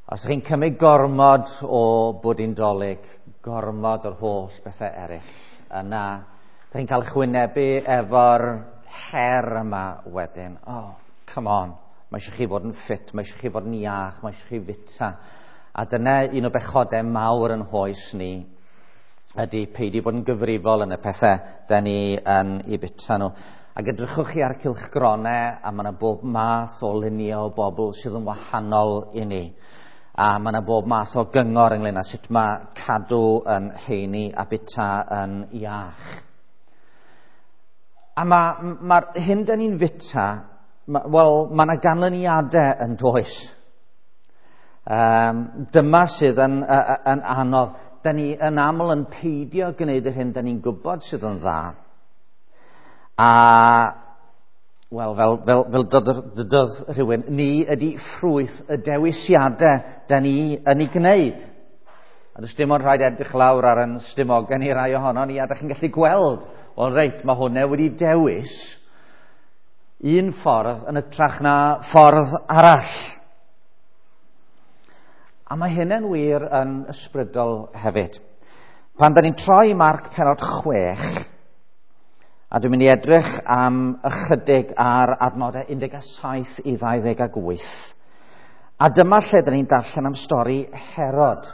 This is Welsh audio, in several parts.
Os ydych chi'n cymryd gormod o bwdin Dolig, gormod o'r holl bethau eraill, yna ydych chi'n cael chwynebu efo'r her yma wedyn. Oh, come on, mae eisiau chi fod yn ffit, mae eisiau chi fod yn iach, mae eisiau chi fita. A dyna un o bechodau mawr yn hoes ni, ydy peidio bod yn gyfrifol yn y pethau da ni yn ei bita nhw. Ac edrychwch chi ar cylchgronau, a mae yna bob math o luniau o bobl sydd yn wahanol i ni. A mae yna bob math o gyngor ynglyn â sut mae cadw yn heini a bita yn iach. A mae'r ma hyn dyn ni'n fita, wel, mae yna ganlyniadau yn does. Dyma sydd yn anodd. Dyn ni yn aml yn peidio gwneud yr hyn dyn ni'n gwybod sydd yn dda. A, wel, fel dydodd rhywun, ni ydy ffrwyth y dewisiadau da ni yn ei gwneud. A does dim ond rhaid edrych lawr ar yn stumogau ni rai ohono ni, a da chi'n gallu gweld, wel reit, mae hwnna wedi dewis un ffordd yn ytrach na ffordd arall. A mae hynny'n wir yn ysbrydol hefyd. Pan da ni'n troi Marc penod 6, a dwi'n mynd i edrych am ychydig ar adnodau 17 i 28. A dyma lle dyn ni'n darllen am stori Herod.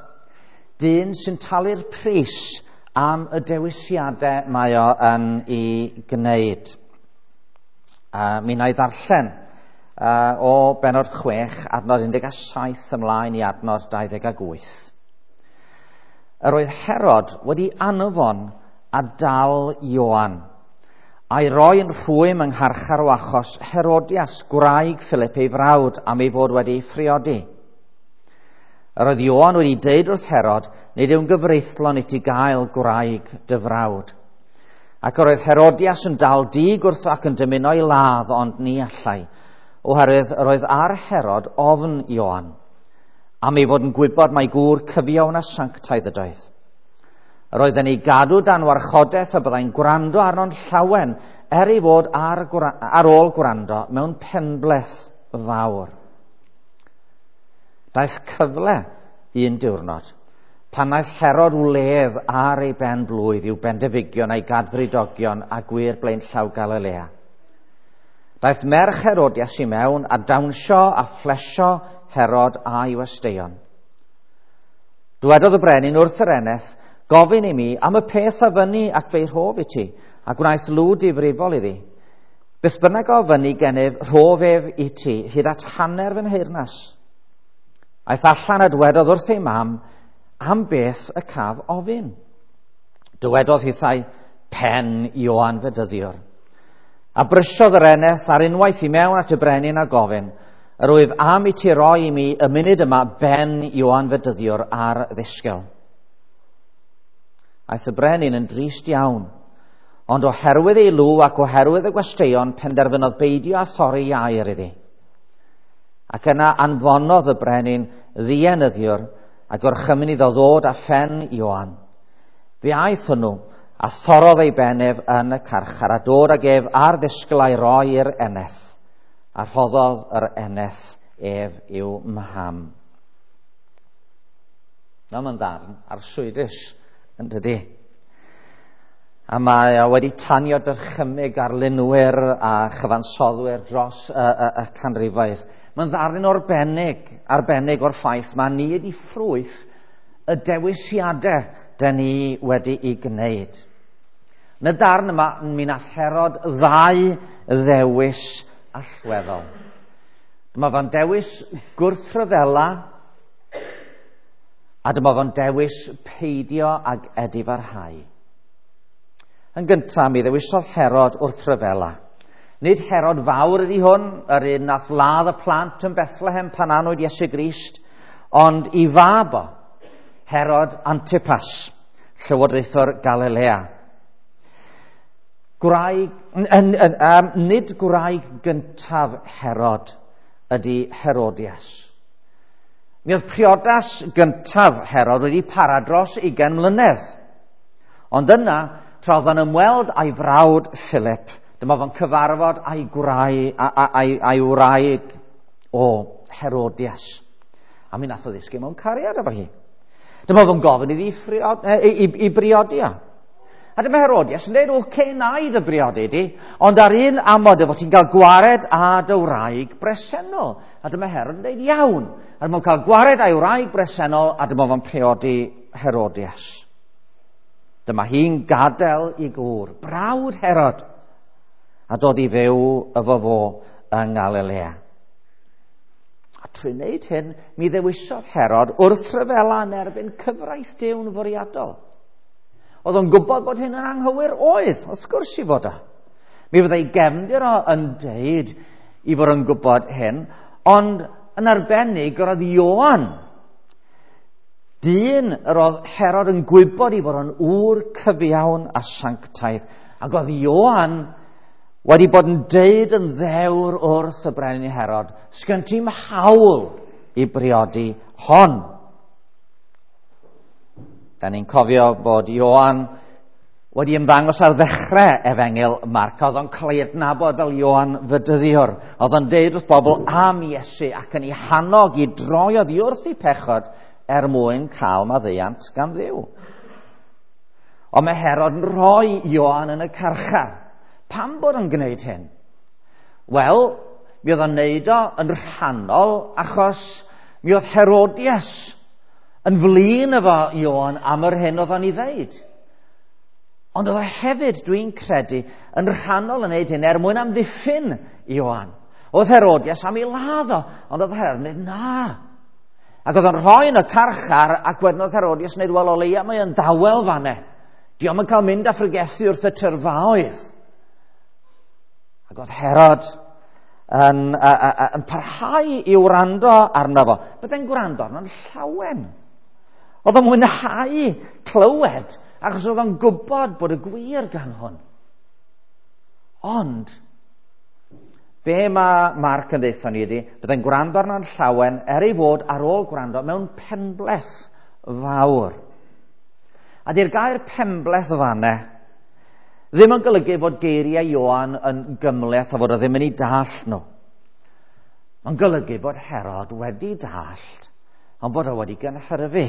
Dyn sy'n talu'r pris am y dewisiadau mae o yn ei gwneud. Mi wna i ddarllen o benod 6, adnod 17 ymlaen i adnod 28. Yr oedd Herod wedi anfon a dal Ioan, a'i roi yn rhwym yng ngharchar o achos Herodias, gwraig Philip ei frawd, am ei fod wedi ei phriodi. Yr oedd Ioan wedi deud wrth Herod, nid yw'n gyfreithlon i ti gael gwraig dy frawd. Ac yr oedd Herodias yn dal dig wrtho ac yn dymuno ei ladd, ond ni allai, oherwydd yr oedd ar Herod ofn Ioan, am ei fod yn gwybod mai gŵr cyfiawn a sanctaidd ydoedd. Yr oedd yn ei gadw dan warchodaeth a byddai'n gwrando arno'n llawen, er ei fod ar ôl gwrando mewn penbleth fawr. Daeth cyfle un diwrnod, pan wnaeth Herod wledd ar ei ben blwydd i'w bendefigion a'i gadfridogion a gwir blaenllaw Galilea. Daeth merch Herodias i mewn a dawnsio a phlesio Herod a'i westeion. Dywedodd y brenin wrth yr eneth, gofyn i mi am y peth a fyny ac fe'i rhof i ti, a gwnaeth lw difrifol iddi. Beth bynnag o fyny gennyf, rhof ef i ti, hyd at hanner fy nheyrnas. Aeth allan a dywedodd wrth ei mam, am beth y caf ofyn. Dywedodd hithau, pen Ioan Fedyddiwr. A brysiodd yr eneth ar unwaith i mewn at y brenin a gofyn, yr wyf am i ti roi i mi y munud yma ben Ioan Fedyddiwr ar ddisgel. Aeth y brenin yn drist iawn, ond oherwydd ei lw ac oherwydd y gwesteion penderfynodd beidio â thorri air iddi. Ac yna anfonodd y brenin ddienyddiwr a gorchymyn iddo ddod â phen Ioan. Fe aeth hwnnw a thorrodd ei ben ef yn y carchar a dod ag ef ar ddisgl a'i roi i'r eneth, a rhoddodd yr eneth ef i'w mham. Na, mae'n ddarn arswydus, yn dydy. A mae o wedi tanio dychymyg arlunwyr a chyfansoddwyr dros y canrifoedd. Mae'n ddarlun arbennig o'r ffaith mae ni wedi ffrwyth y dewisiadau dyn ni wedi'i gwneud. Yn y darn yma, mi nath Herod ddau ddewis allweddol. Dyma fo'n dewis gwrthryfela, a dyma fo'n dewis peidio ag edifarhau. Yn gyntaf, mi ddewisodd Herod wrthryfela. Nid Herod fawr ydy hwn, yr un nath ladd y plant yn Bethlehem pan anwyd Iesu Grist, ond i fab o, Herod Antipas, llywodraethwr Galilea. Nid gwraig gyntaf Herod ydy Herodias. Mi oedd priodas gyntaf Herod wedi para dros 20 mlynedd. Ond yna, tra oedd o'n ymweld â'i frawd Philip, dyma fo'n cyfarfod â'i wraig o Herodias. A mi nath o ddisgyn mewn cariad efo hi. Dyma fo'n gofyn iddi i briodi o. A dyma Herodias yn dweud, oce, na i dy briodi di, ond ar un amod efo ti'n cael gwared â dy wraig bresennol. A dyma Herod yn dweud, iawn. A dyma fo'n cael gwared â'i wraig bresennol, a dyma fo'n priodi Herodias. Dyma hi'n gadael i gŵr, brawd Herod, a dod i fyw efo fo yng Ngalilea. A trwy wneud hyn, mi ddewisodd Herod wrthryfela yn erbyn cyfraith Duw'n fwriadol. Oedd o'n gwybod bod hyn yn anghywir? Oedd, wrth gwrs i fod o. Mi fyddai gefndir o yn deud i fod yn gwybod hyn, ond yn arbennig yr oedd Ioan, dyn yr oedd Herod yn gwybod i fod yn ŵr cyfiawn a sanctaidd, ac oedd Ioan wedi bod yn deud yn ddewr wrth y brenin Herod, sgyn ti'm hawl i briodi hon. Da ni'n cofio bod Ioan wedi ymddangos ar ddechrau efengyl Marc, oedd o'n cael ei adnabod fel Ioan Fedyddiwr. Oedd o'n deud wrth bobl am Iesu ac yn ei hannog i droi oddi wrth eu pechod er mwyn cael maddeuant gan Dduw. Ond mae Herod yn rhoi Ioan yn y carchar. Pam bod o'n gwneud hyn? Wel, mi oedd o'n neud o yn rhannol achos mi oedd Herodias yn flin efo Ioan am yr hyn oedd o'n ei ddeud. Ond oedd o hefyd, dwi'n credu, yn rhannol yn neud hyn er mwyn amddiffyn Ioan. Oedd Herodias am ei ladd o, ond oedd Herod yn dweud na. Ac oedd o'n rhoi yn y carchar, ac wedyn oedd Herodias yn dweud, wel, o leia mae o'n dawel fanne. Dio'm yn cael mynd a phregethu wrth y tyrfaoedd. Ac oedd Herod yn parhau i wrando arno fo. Byddai'n gwrando arno'n llawen. Oedd o'n mwynhau clywed, achos oedd o'n gwybod bod y gwir gan hwn. Ond, be mae Marc yn deutha ni ydy, byddai'n gwrando arno'n llawen er ei fod ar ôl gwrando mewn penbleth fawr. A di'r gair penbleth fanne ddim yn golygu fod geiriau Ioan yn gymhleth a fod o ddim yn ei dallt nhw. Mae'n golygu bod Herod wedi dallt, ond bod o wedi gynhyrfu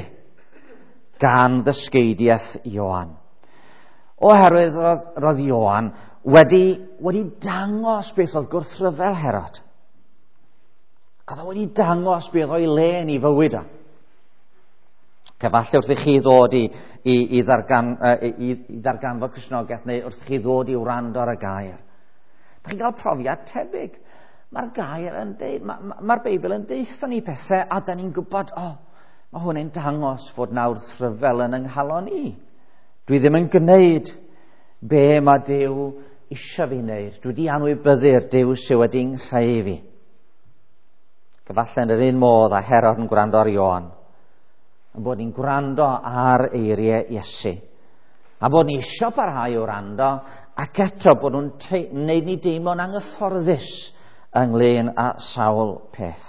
gan ddysgeidiaeth Ioan. Oherwydd roedd Ioan wedi dangos beth oedd gwrthryfel Herod. Ac oedd o wedi dangos beth o'i le yn ei fywyd o. Falle wrth i chi ddod i ddarganfod Cristnogaeth neu wrth i chi ddod i wrando ar y gair. Dych chi'n cael profiad tebyg. Mae'r gair yn deud, mae'r Beibl yn deutha ni pethau a da ni'n gwybod, o, mae hwn yn dangos fod nawr wrthryfel yn yng nghalon i. Dwi ddim yn gwneud be mae Duw eisiau fi wneud. Dwi wedi anwybyddu'r Duw sydd wedi nghreu fi. Falle yn yr un modd a Herod yn gwrando ar Ioan, yn bod ni'n gwrando ar eiriau Iesu. A bod ni eisiau parhau o wrando, ac eto bod nhw'n wneud ni deimlo'n anghyfforddus ynglyn â sawl peth.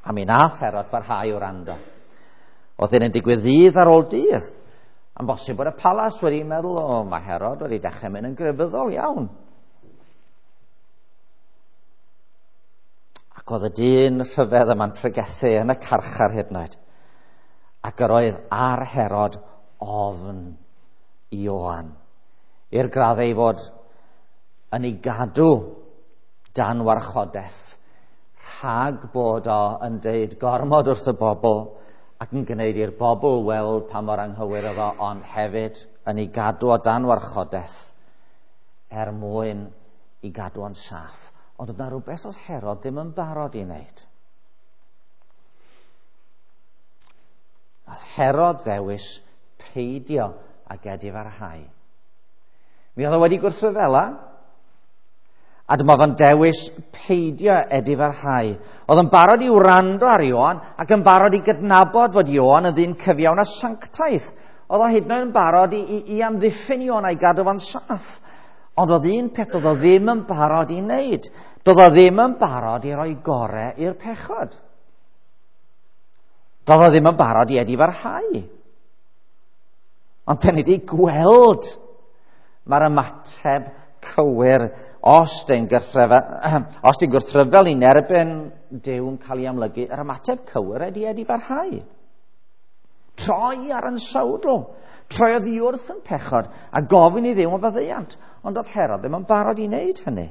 A mi nath Herod barhau o wrando. Oedd hyn yn digwydd ddydd ar ôl dydd. Am bosib bod y palas wedi meddwl, o, mae Herod wedi dechrau mynd yn grefyddol iawn. Ac oedd y dyn rhyfedd yma'n pregethu yn y carchar hyd yn oed. Ac yr oedd ar Herod ofn Ioan. I'r graddau ei fod yn ei gadw dan warchodaeth, rhag bod o yn deud gormod wrth y bobl ac yn gwneud i'r bobl weld pa mor anghywir oedd o, ond hefyd yn ei gadw o dan warchodaeth er mwyn i gadw o'n saff. Ond oedd na rhywbeth oedd Herod ddim yn barod i wneud. Nath Herod ddewis peidio ag edifarhau. Mi oedd o wedi gwrthryfela, a dyma fo'n dewis peidio edifarhau. Oedd yn barod i wrando ar Ioan ac yn barod i gydnabod fod Ioan yn ddyn cyfiawn a sanctaidd. Oedd o hyd yn oed yn barod i amddiffyn Ioan a'i gadw fo'n saff. Ond oedd un peth oedd o ddim yn barod i wneud. Doedd o ddim yn barod i roi gorau i'r pechod. Doedd o ddim yn barod i edifarhau. Ond pen ni wedi gweld mae'r ymateb cywir os dyn gwrthryfel i'n erbyn Duw yn cael ei amlygu, yr ymateb cywir ydy edifarhau. Troi ar yn sawdl, troi oddi wrth yn pechod a gofyn i Dduw am faddeuant, ond oedd Herod ddim yn barod i wneud hynny.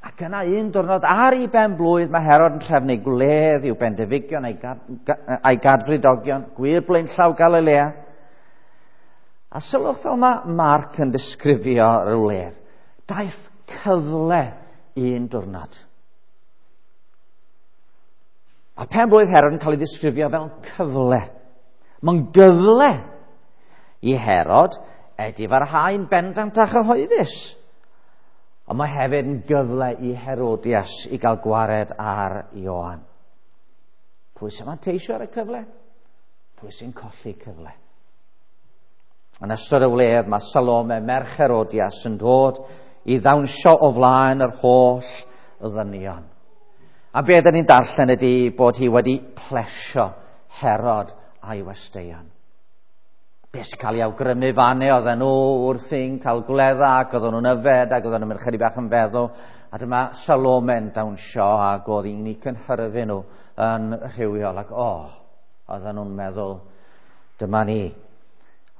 Ac yna un diwrnod ar ei ben blwydd mae Herod yn trefnu gwledd i'w bendefigion a'i gadfridogion, gwir blaenllaw Galilea. A sylwch fel mae Marc yn disgrifio yr wledd. Daeth cyfle un diwrnod. A pen blwydd Herod yn cael ei ddisgrifio fel cyfle. Mae'n gyfle i Herod edifarhau'n bendant a chyhoeddus. Ond mae hefyd yn gyfle i Herodias i gael gwared ar Ioan. Pwy sy'n manteisio ar y cyfle? Pwy sy'n colli cyfle? Yn ystod y wledd mae Salome, merch Herodias, yn dod i ddawnsio o flaen yr holl ddynion. A be dyn ni'n darllen ydy bod hi wedi plesio Herod a'i westeion. Be sy'n cael ei awgrymu fanne, oedden nhw wrthi'n cael gwledda ac oedden nhw'n yfed ac oedden nhw'n mynd chydig bach yn feddw. A dyma Salome'n dawnsio ac oedd hi'n eu cynhyrfu nhw yn rhywiol. Ac oedden nhw'n meddwl, dyma ni.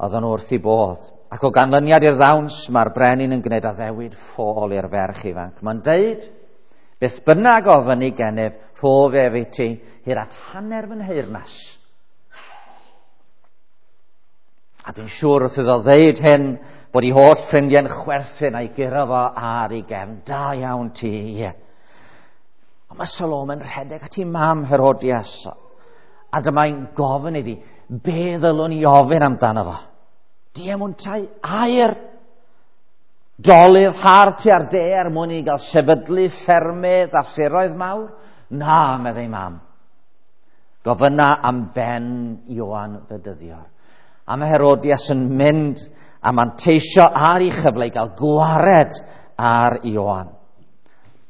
Oedden nhw wrth i bodd. Ac o ganlyniad i'r ddawns, mae'r brenin yn gwneud addewid ffôl i'r ferch ifanc. Mae'n deud, beth bynnag ofyn i gennyf, rhof ef i ti, hyd at hanner fy nheyrnas. A dwi'n siŵr wrth iddo ddeud hyn bod ei holl ffrindiau'n chwerthin a'i guro fo ar ei gefn. Da iawn ti, ie. Ond mae Salome'n rhedeg at ei mam Herodias. A dyma'n gofyn iddi, be ddylwn i ofyn amdano fo? Diemwntau aur. Dolydd har tua'r de er mwyn i gael sefydlu ffermydd a thiroedd mawr? Na, meddai mam. Gofynna am ben Ioan Fedyddiwr. A mae Herodias yn mynd a manteisio ar ei chyfle i gael gwared ar Ioan.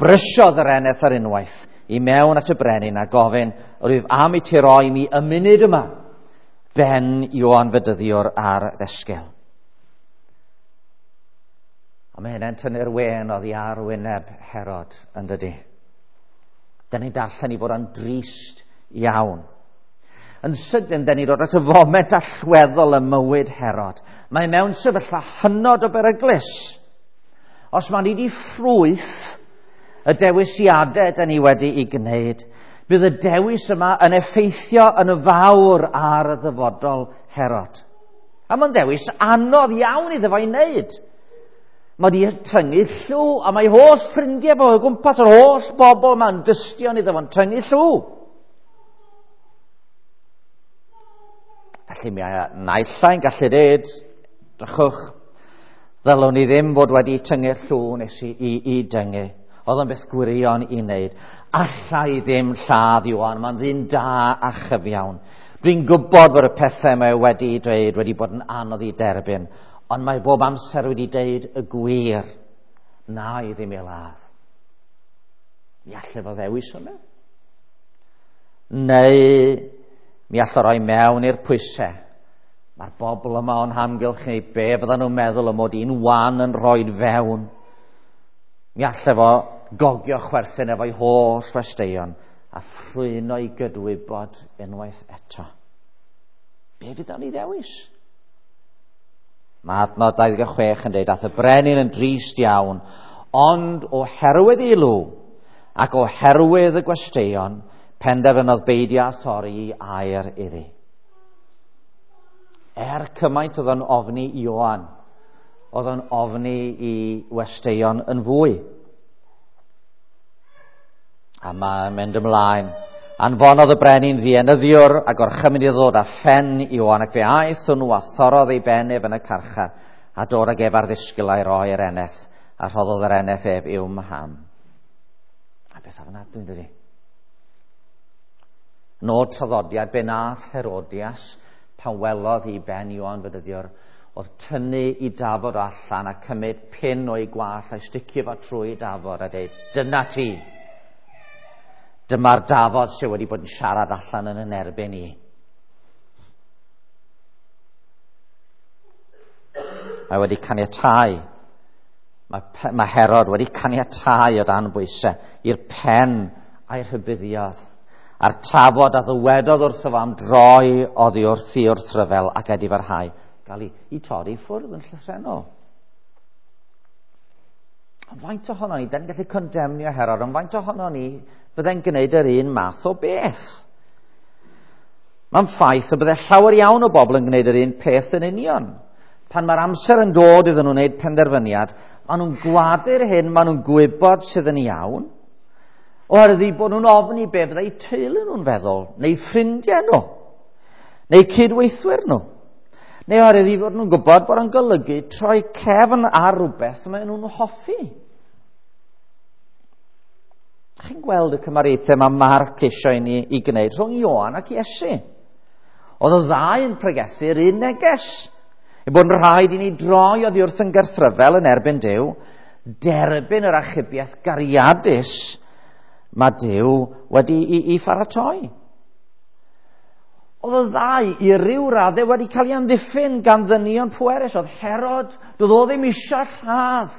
Brysiodd yr eneth ar unwaith i mewn at y brenin a gofyn, rwyf am i ti roi mi y munud yma, ben Ioan Fedyddiwr ar ddesgel. A mae hynny'n tynnu'r wên oddi ar wyneb Herod, yn dydi. Dyn ni'n darllen i fod yn drist iawn. Yn sydyn, dyn ni'n dod at y foment allweddol ym mywyd Herod. Mae mewn sefyllfa hynod o beryglus. Os mae'n i ffrwyth y dewisiadau dyn ni wedi'i gwneud, bydd y dewis yma yn effeithio yn fawr ar y ddyfodol Herod. A mae'n dewis anodd iawn iddo fo i wneud. Mae wedi tyngu llw, a mae holl ffrindiau fo o gwmpas yr holl bobl yma'n dystion iddo fo'n tyngu llw. Felly mi naill ai'n gallu dweud, drychwch, ddylwn ni ddim fod wedi tyngu'r llw nes i dyngu. Oedd o'n beth gwirion i wneud. Alla i ddim lladd Ioan, mae'n ddyn da a chyfiawn. Dwi'n gwybod bod y pethau mae wedi dweud wedi bod yn anodd i derbyn, ond mae bob amser wedi deud y gwir. Na i ddim ei ladd. Mi allai fo ddewis hwnna. Neu mi allai roi mewn i'r pwysau. Mae'r bobl yma o'n hamgylch ni, be fyddan nhw'n meddwl y mod i'n wan yn rhoi fewn. Mi allai fo gogio chwerthin efo'i holl westeion a ffrwyno i gydwybod unwaith eto. Be fydd o'n ei ddewis? Mae adnod 26 yn dweud, ath y brenin yn drist iawn, ond oherwydd ei lw ac oherwydd y gwesteion, penderfynodd beidio â thorri air iddi. Er cymaint oedd o'n ofni Ioan, oedd o'n ofni i westeion yn fwy. A mae'n mynd ymlaen. Anfonodd y brenin ddienyddiwr a gorchymyn iddo ddod â phen Ioan, ac fe aeth hwnnw a thorrodd ei ben ef yn y carchar, a dod ag ef ar ddisgyl a'i roi i'r eneth, a rhoddodd yr eneth ef i'w mham. A beth ofnadwy, yn dydi? Nod traddodiad be nath Herodias pan welodd hi ben Ioan Fedyddiwr oedd tynnu i dafod allan a cymryd pin o'i gwallt a'i sticio fo trwy dafod a dweud, dyna ti. Dyma'r dafod sydd wedi bod yn siarad allan yn yn erbyn i. Mae wedi caniatáu Mae Herod wedi caniatáu o dan bwysau i'r pen a'i rhybuddiodd, a'r tafod a ddywedodd wrtho fo am droi oddi wrth i wrthryfel ac edifarhau, gael ei torri ffwrdd yn llythrennol. Ond faint ohono ni, da ni'n gallu condemnio Herod, ond faint ohono ni fydde'n gwneud yr un math o beth? Mae'n ffaith y bydde llawer iawn o bobl yn gwneud yr un peth yn union. Pan mae'r amser yn dod iddyn nhw wneud penderfyniad, maen nhw'n gwadu'r hyn, maen nhw'n gwybod sydd yn iawn, oherwydd eu bod nhw'n ofni be fyddai teulu nhw'n feddwl, neu ffrindiau nhw, neu cydweithwyr nhw. Neu oherwydd eu bod nhw'n gwybod bod o'n golygu troi cefn ar rhywbeth maen nhw'n hoffi. Chi'n gweld y cymariaethau mae Marc eisiau i ni i gwneud rhwng Ioan ac Iesu. Oedd y ddau yn pregethu'r un neges. Ei bod yn rhaid i ni droi oddi wrth yn gyrthryfel yn erbyn Duw, derbyn yr achubiaeth gariadus mae Duw wedi i pharatoi. Oedd y ddau i ryw raddau wedi cael ei amddiffyn gan ddynion pwerus. Oedd Herod, doedd o ddim eisiau lladd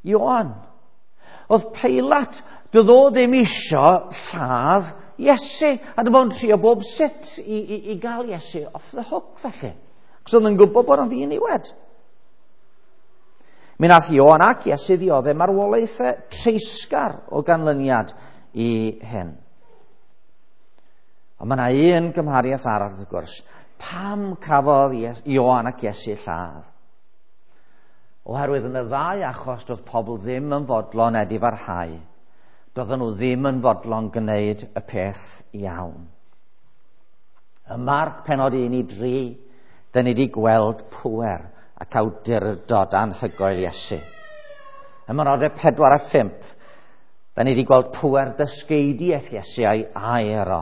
Ioan. Oedd Peilat, doedd o ddim eisiau lladd Iesu. A dyma o'n trio bob sut i gael Iesu off the hook felly. Cos oedd yn gwybod bod o'n ddiniwed. Mi nath Ioan ac Iesu ddioddef marwolaethau treisgar o ganlyniad i hyn. Ond mae yna un gymhariaeth arall wrth gwrs. Pam cafodd Ioan ac Iesu lladd? Oherwydd yn y ddau achos doedd pobl ddim yn fodlon edifarhau. Doedden nhw ddim yn fodlon gwneud y peth iawn. Ym Marc penod 1-3, dyn ni wedi gweld pŵer ac awdurdod anhygoel Iesu. Ym mhenodau 4 a 5, dyn ni wedi gweld pŵer dysgeidiaeth Iesu a'i air o.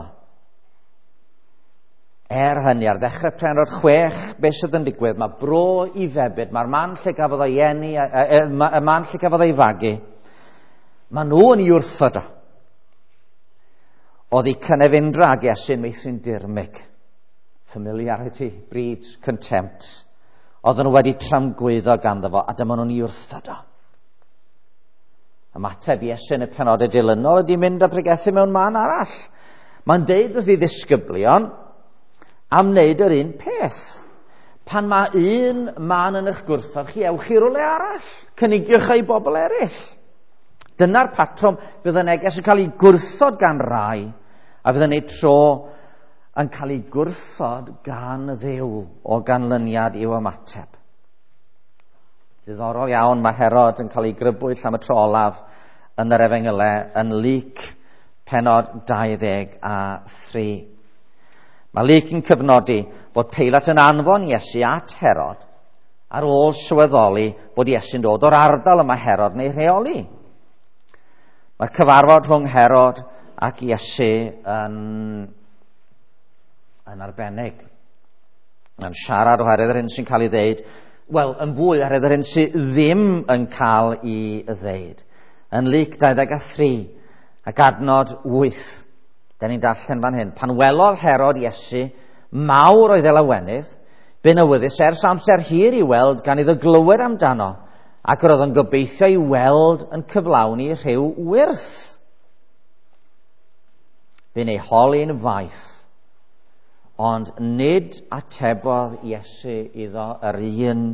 Er hynny, ar ddechrau penod 6, beth sydd yn digwydd? Mae bro i febyd, mae'r man lle gafodd o'i eni, y man lle gafodd o'i fagu, mae nhw yn ei wrthod o. Oedd ei cynefindra ag Iesu'n meithrin dirmyg. Familiarity breeds contempt. Oedden nhw wedi tramgwyddo ganddo fo, a dyma nhw'n ei wrthod o. Ymateb Iesu yn y penodau dilynol ydy mynd a pregethu mewn man arall. Mae'n deud wrth ei ddisgyblion am wneud yr un peth. Pan mae un man yn eich gwrthod chi, ewch i rywle arall. Cynigiwch ei bobl eraill. Dyna'r patrwm, bydd y neges yn cael ei gwrthod gan rai, a fydd yn ei tro yn cael ei gwrthod gan Dduw o ganlyniad i'w ymateb. Diddorol iawn, mae Herod yn cael ei grybwyll am y tro olaf yn yr Efengylau yn Luc penod 23. Mae Luc yn cyfnodi bod Peilat yn anfon Iesu at Herod ar ôl sylweddoli bod Iesu'n dod o'r ardal y mae Herod yn ei rheoli. Mae'r cyfarfod rhwng Herod ac Iesu yn arbennig. Mae'n siarad oherwydd yr hyn sy'n cael ei ddeud, wel, yn fwy oherwydd yr hyn sydd ddim yn cael ei ddeud. Yn Luc 23 ac adnod 8, da ni'n darllen fan hyn. Pan welodd Herod Iesu, mawr oedd ei lawenydd, bu'n awyddus ers amser hir i weld gan iddo glywed amdano, ac yr oedd yn gobeithio i weld yn cyflawni rhyw wyrth. Bu'n ei holi'n faith, ond nid atebodd Iesu iddo yr un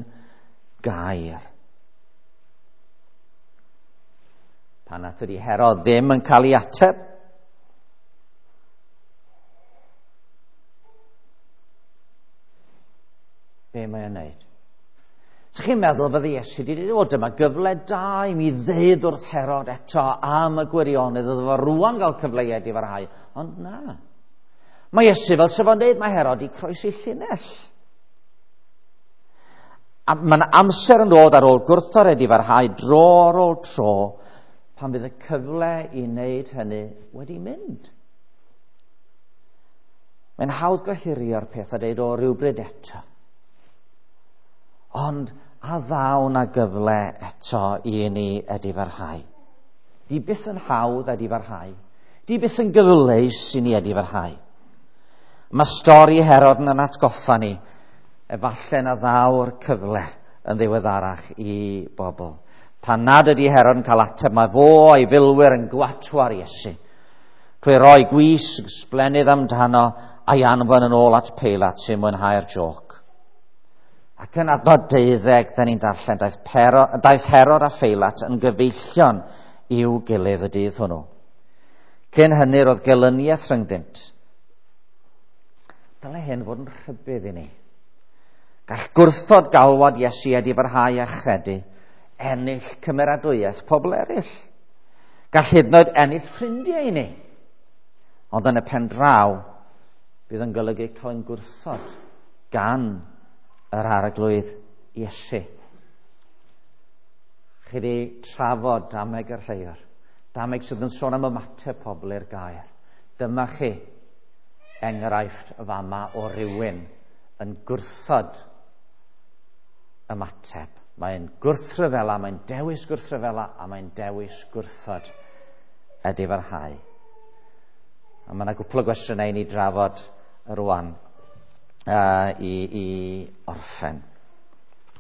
gair. Pan nad ydi Herod ddim yn cael ei ateb, be mae o'n wneud? So chi'n meddwl fydde Iesu wedi dweud, o, dyma gyfle da i mi ddeud wrth Herod eto am y gwirionedd, oedd fo rŵan gael cyfle i edifarhau. Ond na. Mae Iesu fel sef o'n dweud, mae Herod i croesi llinell. A mae'n amser yn dod ar ôl gwrthod edifarhau dro ar ôl tro, pan fydd y cyfle i wneud hynny wedi mynd. Mae'n hawdd gohirio'r peth a dweud o rywbryd eto. Ond a ddaw na gyfle eto i ni edifarhau. Di byth yn hawdd edifarhau. Di byth yn gyfleus i ni edifarhau. Mae stori Herod yn atgoffa ni, efallai na ddaw'r cyfle yn ddiweddarach i bobl. Pan nad ydy Herod yn cael ateb, mae fo a'i filwyr yn gwatwar Iesu. Trwy roi gwisg sblennydd amdano a'i anfon yn ôl at Peilat sy'n mwynhau'r joc. Ac yn adnod 12, da ni'n darllen, daeth Herod a Pheilat yn gyfeillion i'w gilydd y dydd hwnnw. Cyn hynny roedd gelyniaeth rhyngddynt. Dylai hyn fod yn rhybudd i ni. Gall gwrthod galwad Iesu edifarhau a chredu ennill cymeradwyaeth pobl eraill. Gall hyd yn oed ennill ffrindiau i ni. Ond yn y pen draw, bydd yn golygu cael ein gwrthod gan yr Arglwydd Iesu. Chi wedi trafod dameg yr lleior. Dameg sydd yn sôn am ymateb pobl i'r gair. Dyma chi enghraifft fama o rywun yn gwrthod ymateb. Mae'n gwrthryfela, mae'n dewis gwrthryfela, a mae'n dewis gwrthod edifarhau. A mae yna gwpl o gwestiynau i ni drafod rwan i orffen.